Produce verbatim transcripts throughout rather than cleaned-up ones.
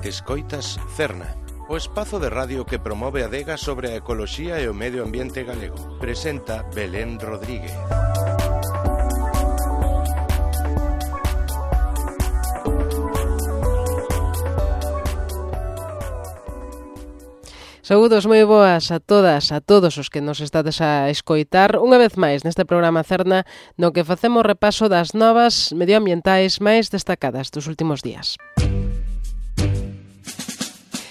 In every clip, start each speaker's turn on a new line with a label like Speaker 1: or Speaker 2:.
Speaker 1: Escoitas Cerna, o espazo de radio que promove a adega sobre a ecoloxía e o medio ambiente galego. Presenta Belén Rodríguez.
Speaker 2: Saúdos moi boas a todas, a todos os que nos estades a escoitar unha vez máis neste programa Cerna no que facemos repaso das novas medioambientais máis destacadas dos últimos días.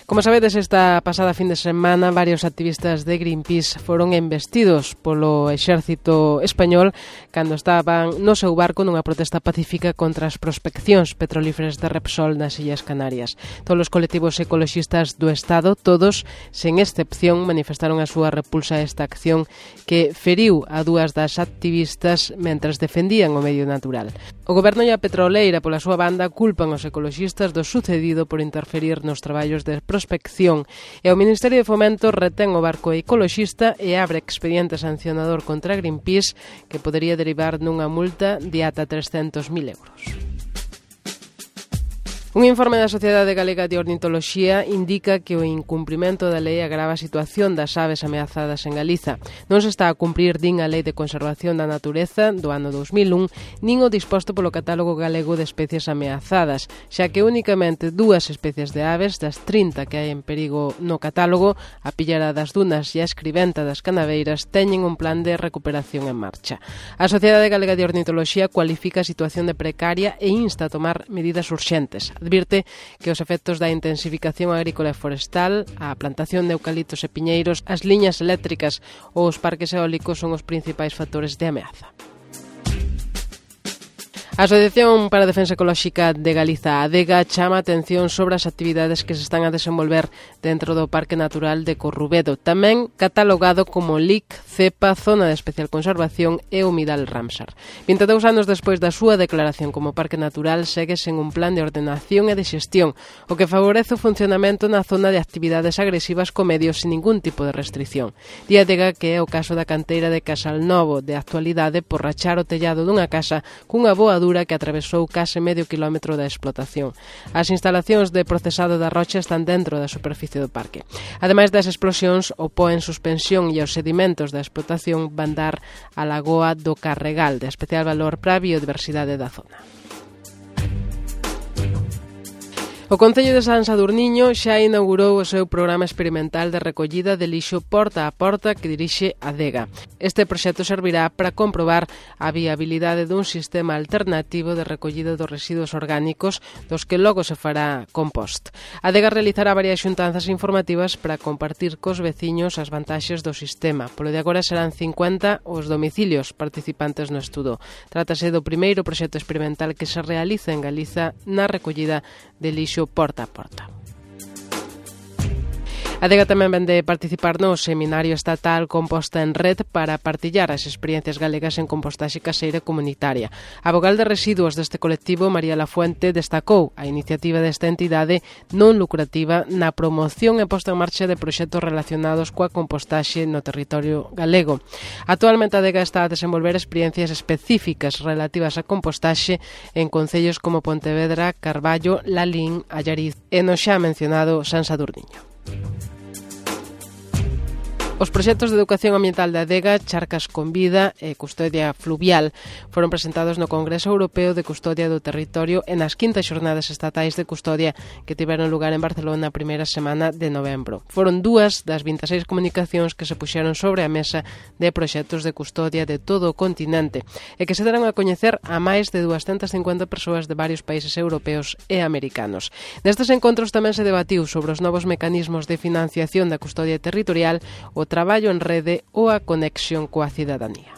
Speaker 2: Como sabedes, esta pasada fin de semana varios activistas de Greenpeace foron embestidos polo exército español cando estaban no seu barco nunha protesta pacífica contra as prospeccións petrolíferas de Repsol nas Illas Canarias. Todos os colectivos ecoloxistas do Estado, todos, sen excepción, manifestaron a súa repulsa a esta acción que feriu a dúas das activistas mentres defendían o medio natural. O goberno e a petroleira, pola súa banda, culpan os ecoloxistas do sucedido por interferir nos traballos de prospección e o Ministerio de Fomento retén o barco ecoloxista e abre expediente sancionador contra Greenpeace que podería derivar nunha multa de ata trescentos mil euros. Un informe da Sociedade Galega de Ornitoloxía indica que o incumprimento da lei agrava a situación das aves ameazadas en Galiza. Non se está a cumprir din a Lei de Conservación da Natureza do ano dos mil un, nin o disposto polo Catálogo Galego de Especies Ameazadas, xa que únicamente dúas especies de aves das trinta que hai en perigo no catálogo, a pillara das dunas e a escriventa das canaveiras, teñen un plan de recuperación en marcha. A Sociedade Galega de Ornitoloxía cualifica a situación de precaria e insta a tomar medidas urxentes. Advirte que os efectos da intensificación agrícola e forestal, a plantación de eucaliptos e piñeiros, as liñas eléctricas ou os parques eólicos son os principais factores de ameaza. A Asociación para a Defensa Ecolóxica de Galiza, a ADEGA, chama a atención sobre as actividades que se están a desenvolver dentro do Parque Natural de Corrubedo, tamén catalogado como L I C, CEPA, Zona de Especial Conservación e Humidal Ramsar. vinte e dous anos despois da súa declaración como Parque Natural, segue sen un plan de ordenación e de xestión, o que favorece o funcionamento na zona de actividades agresivas co medio sin ningún tipo de restricción. Di a ADEGA que é o caso da canteira de Casal Novo, de actualidade por rachar o tellado dunha casa cunha boa que atravesou case medio quilómetro da explotación. As instalacións de procesado da rocha están dentro da superficie do parque. Ademais das explosións, o po en suspensión e os sedimentos da explotación van dar a lagoa do Carregal, de especial valor para a biodiversidade da zona. O Concello de San Sadurniño xa inaugurou o seu programa experimental de recollida de lixo porta a porta que dirixe a ADEGA. Este proxecto servirá para comprobar a viabilidade dun sistema alternativo de recollida dos residuos orgánicos dos que logo se fará compost. A ADEGA realizará varias xuntanzas informativas para compartir cos veciños as vantaxes do sistema. Polo de agora serán cincuenta os domicilios participantes no estudo. Trátase do primeiro proxecto experimental que se realiza en Galiza na recollida de lixo porta a porta. A ADEGA tamén vende participar no Seminario Estatal Composta en Red para partillar as experiencias galegas en compostaxe caseira comunitaria. A vogal de residuos deste colectivo, María Lafuente, destacou a iniciativa desta entidade non lucrativa na promoción e posta en marcha de proxectos relacionados coa compostaxe no territorio galego. Actualmente a ADEGA está a desenvolver experiencias específicas relativas á compostaxe en concellos como Pontevedra, Carballo, Lalín, Allariz e no xa mencionado San Sadurniño. Os proxectos de educación ambiental da ADEGA, Charcas con Vida e Custodia Fluvial foron presentados no Congreso Europeo de Custodia do Territorio e nas quintas xornadas estatais de custodia que tiveron lugar en Barcelona a primeira semana de novembro. Foron dúas das vinte e seis comunicacións que se puxeron sobre a mesa de proxectos de custodia de todo o continente e que se deron a coñecer a máis de doscientas cincuenta persoas de varios países europeos e americanos. Nestes encontros tamén se debatiu sobre os novos mecanismos de financiación da custodia territorial, o traballo en rede ou a conexión coa cidadanía.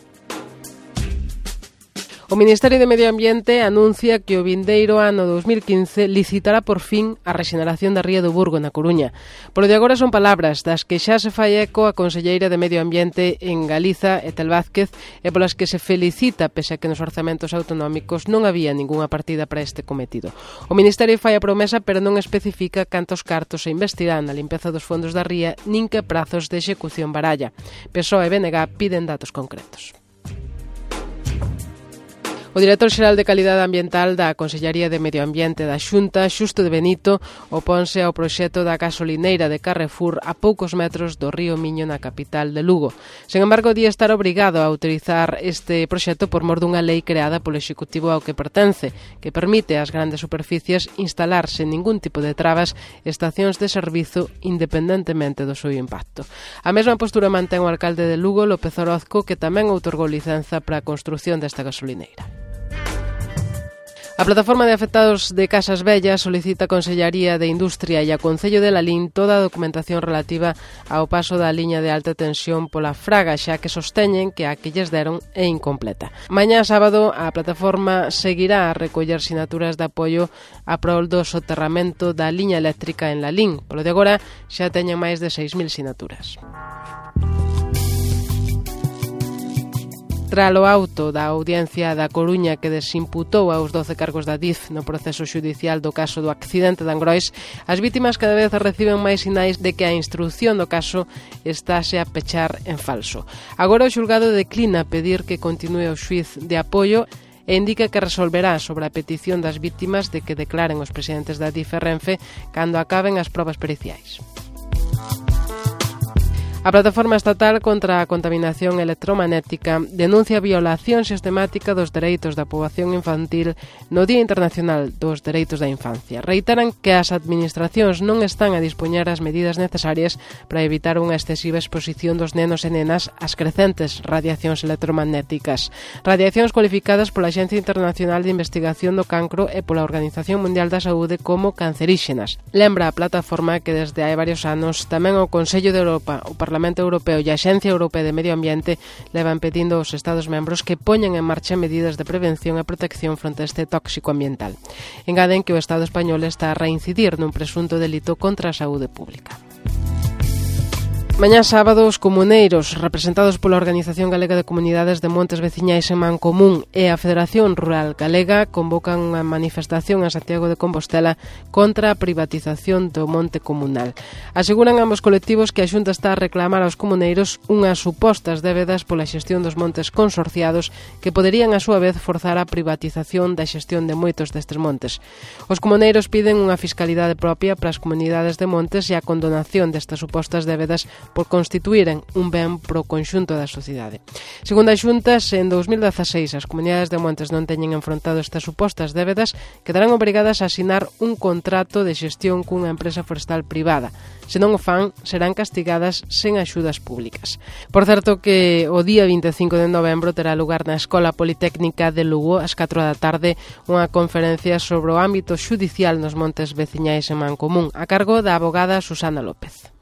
Speaker 2: O Ministerio de Medio Ambiente anuncia que o vindeiro ano dos mil quince licitará por fin a rexeneración da ría do Burgo na Coruña. Polo de agora son palabras das que xa se fai eco a conselleira de Medio Ambiente en Galiza, Etel Vázquez, e polas que se felicita pese a que nos orzamentos autonómicos non había ningunha partida para este cometido. O Ministerio fai a promesa pero non especifica cantos cartos se investirán na limpeza dos fondos da ría nin que prazos de execución baralla. P S O E e B N G piden datos concretos. O director xeral de Calidade Ambiental da Consellería de Medio Ambiente da Xunta, Xusto de Benito, oponse ao proxecto da gasolineira de Carrefour a poucos metros do río Miño na capital de Lugo. Sen embargo, di estar obrigado a autorizar este proxecto por mor dunha lei creada polo Executivo ao que pertence, que permite ás grandes superficies instalar sen ningún tipo de trabas estacións de servizo independentemente do seu impacto. A mesma postura mantén o alcalde de Lugo, López Orozco, que tamén outorgou licenza para a construción desta gasolineira. A Plataforma de Afectados de Casas Vellas solicita a Consellería de Industria e a Concello de Lalín toda a documentación relativa ao paso da liña de alta tensión pola Fraga, xa que sosteñen que a que lles deron é incompleta. Mañá sábado a plataforma seguirá a recoller sinaturas de apoio a prol do soterramento da liña eléctrica en Lalín. Polo de agora xa teñen máis de seis mil sinaturas. Tralo auto da Audiencia da Coruña que desimputou aos doce cargos da D I F no proceso xudicial do caso do accidente de Angrois, as vítimas cada vez reciben máis sinais de que a instrución do caso estáse a pechar en falso. Agora o xulgado declina pedir que continue o xuíz de apoio e indica que resolverá sobre a petición das vítimas de que declaren os presidentes da D I F e Renfe cando acaben as probas periciais. A Plataforma Estatal contra a Contaminación Electromagnética denuncia a violación sistemática dos dereitos da poboación infantil no Día Internacional dos Dereitos da Infancia. Reiteran que as administracións non están a dispoñer as medidas necesarias para evitar unha excesiva exposición dos nenos e nenas ás crecentes radiacións electromagnéticas. Radiacións cualificadas pola Axencia Internacional de Investigación do Cancro e pola Organización Mundial da Saúde como canceríxenas. Lembra a plataforma que desde hai varios anos tamén o Consello de Europa, o Parlamento Europeo e a Axencia Europea de Medio Ambiente levan pedindo aos Estados membros que poñan en marcha medidas de prevención e protección fronte a este tóxico ambiental. Engaden que o Estado español está a reincidir nun presunto delito contra a saúde pública. Mañá sábado, os comuneiros, representados pola Organización Galega de Comunidades de Montes Veciñais en Mancomún e a Federación Rural Galega, convocan unha manifestación en Santiago de Compostela contra a privatización do monte comunal. Aseguran ambos colectivos que a Xunta está a reclamar aos comuneiros unhas supostas débedas pola xestión dos montes consorciados que poderían a súa vez forzar a privatización da xestión de moitos destes montes. Os comuneiros piden unha fiscalidade propia para as comunidades de montes e a condonación destas supostas débedas por constituíren un ben pro conxunto da sociedade. Segundo a Xunta, se en dous mil dezaseis as comunidades de montes non teñen enfrontado estas supostas débedas, quedarán obrigadas a asinar un contrato de xestión cunha empresa forestal privada. Se non o fan, serán castigadas sen axudas públicas. Por certo que o día vinte e cinco de novembro terá lugar na Escola Politécnica de Lugo ás catro da tarde unha conferencia sobre o ámbito xudicial nos montes veciñais en Mancomún, a cargo da abogada Susana López.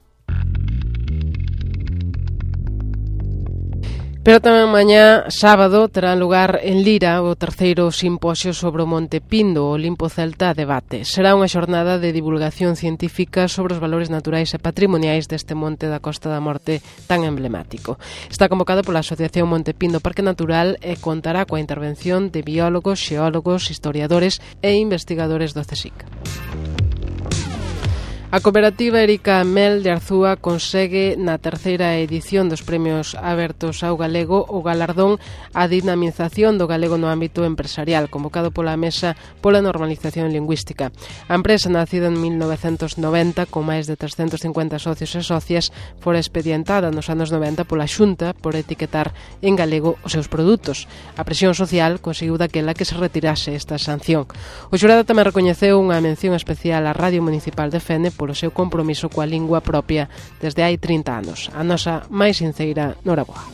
Speaker 2: Pero tamén mañá, sábado, terá lugar en Lira o terceiro simposio sobre o Monte Pindo, o Limpo Celta Debate. Será unha xornada de divulgación científica sobre os valores naturais e patrimoniais deste monte da Costa da Morte tan emblemático. Está convocado pola Asociación Monte Pindo Parque Natural e contará coa intervención de biólogos, xeólogos, historiadores e investigadores do CSIC. A cooperativa Erica Mel de Arzúa consegue na terceira edición dos Premios Abertos ao Galego o galardón á dinamización do galego no ámbito empresarial, convocado pola Mesa pola Normalización Lingüística. A empresa, nacida en mil novecentos noventa, con máis de trescentos cincuenta socios e socias, fora expedientada nos anos noventa pola Xunta por etiquetar en galego os seus produtos. A presión social conseguiu daquela que se retirase esta sanción. O xurado tamén recoñeceu unha mención especial á Radio Municipal de Fene polo seu compromiso coa lingua propia desde hai trinta anos. A nosa máis sinceira noraboa.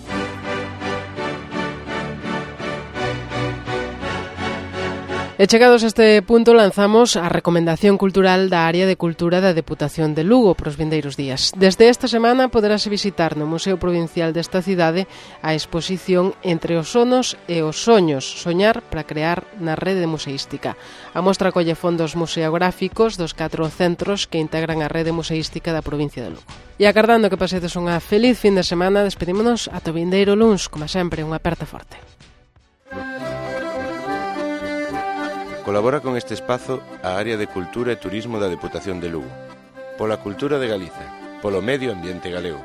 Speaker 2: E chegados a este punto lanzamos a recomendación cultural da área de cultura da Deputación de Lugo para os vindeiros días. Desde esta semana poderase visitar no Museo Provincial desta cidade a exposición Entre os sonos e os soños, soñar para crear na rede museística. A mostra colle fondos museográficos dos catro centros que integran a rede museística da provincia de Lugo. E agardando que pasedes unha feliz fin de semana, despedímonos ata o vindeiro luns, como sempre, unha aperta forte.
Speaker 1: Colabora con este espazo a área de Cultura e Turismo da Deputación de Lugo. Pola cultura de Galiza, polo medio ambiente galego.